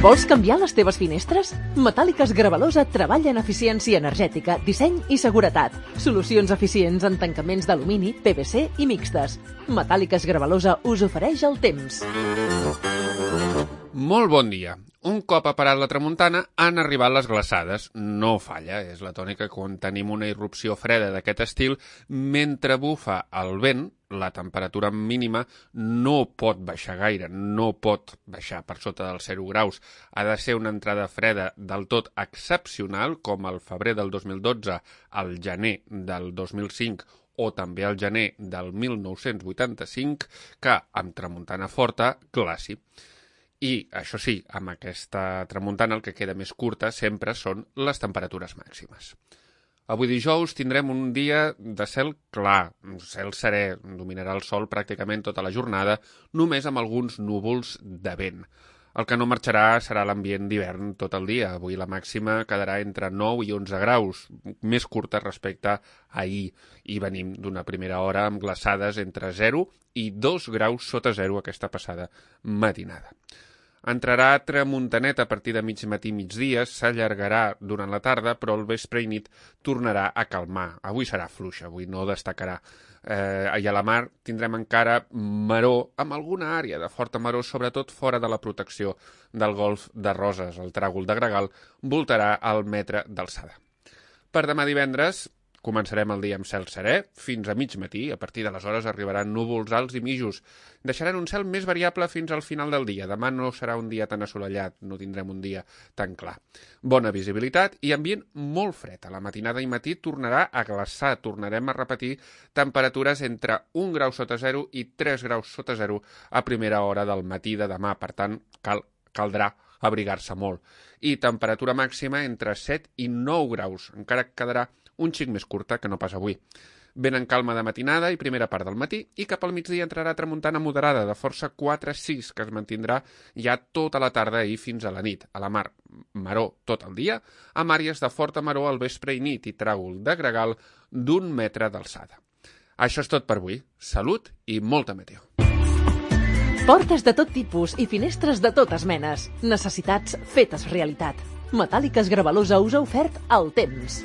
Vols canviar les teves finestres? Metàl·liques Gravalosa treballa en eficiència energètica, disseny i seguretat. Solucions eficients en tancaments d'alumini, PVC i mixtes. Metàl·liques Gravalosa us ofereix el temps. Molt bon dia. Un cop ha parat la tramuntana, han arribat les glaçades. No falla, és la tònica quan tenim una irrupció freda d'aquest estil. Mentre bufa el vent, la temperatura mínima no pot baixar gaire, no pot baixar per sota dels 0 graus. Ha de ser una entrada freda del tot excepcional, com el febrer del 2012, el gener del 2005 o també el gener del 1985, que amb tramuntana forta, glaci. I, això sí, amb aquesta tramuntana el que queda més curta sempre són les temperatures màximes. Avui dijous tindrem un dia de cel clar, cel serè, dominarà el sol pràcticament tota la jornada, només amb alguns núvols de vent. El que no marxarà serà l'ambient d'hivern tot el dia. Avui la màxima quedarà entre 9 i 11 graus, més curta respecte a ahir. I venim d'una primera hora amb glaçades entre 0 i 2 graus sota 0 aquesta passada matinada. Entrarà tramuntanet a partir de mig matí i migdia, s'allargarà durant la tarda, però al vespre i nit tornarà a calmar. Avui serà fluixa, avui no destacarà. I a la mar tindrem encara maror, amb alguna àrea de forta maror, sobretot fora de la protecció del golf de Roses. El tràgol de Gregal voltarà al metre d'alçada. Per demà divendres començarem el dia amb cel serè, fins a mig matí. A partir d'aleshores arribaran núvols alts i mitjos. Deixaran un cel més variable fins al final del dia. Demà no serà un dia tan assolellat, no tindrem un dia tan clar. Bona visibilitat i ambient molt fred. A la matinada i matí tornarà a glaçar. Tornarem a repetir temperatures entre 1 grau sota 0 i 3 graus sota 0 a primera hora del matí de demà. Per tant, caldrà abrigar-se molt. I temperatura màxima entre 7 i 9 graus. Encara quedarà un xic més curta que no pas avui. Vent en calma de matinada i primera part del matí i cap al migdia entrarà tramuntana moderada de força 4-6 que es mantindrà ja tota la tarda i fins a la nit. A la mar, maror tot el dia, amb àrees de forta maror al vespre i nit i tràgol de gregal d'1 metre d'alçada. Això és tot per avui. Salut i molta meteo. Portes de tot tipus i finestres de totes menes. Necessitats fetes realitat. Metàl·liques Gravalosa us ha ofert el temps.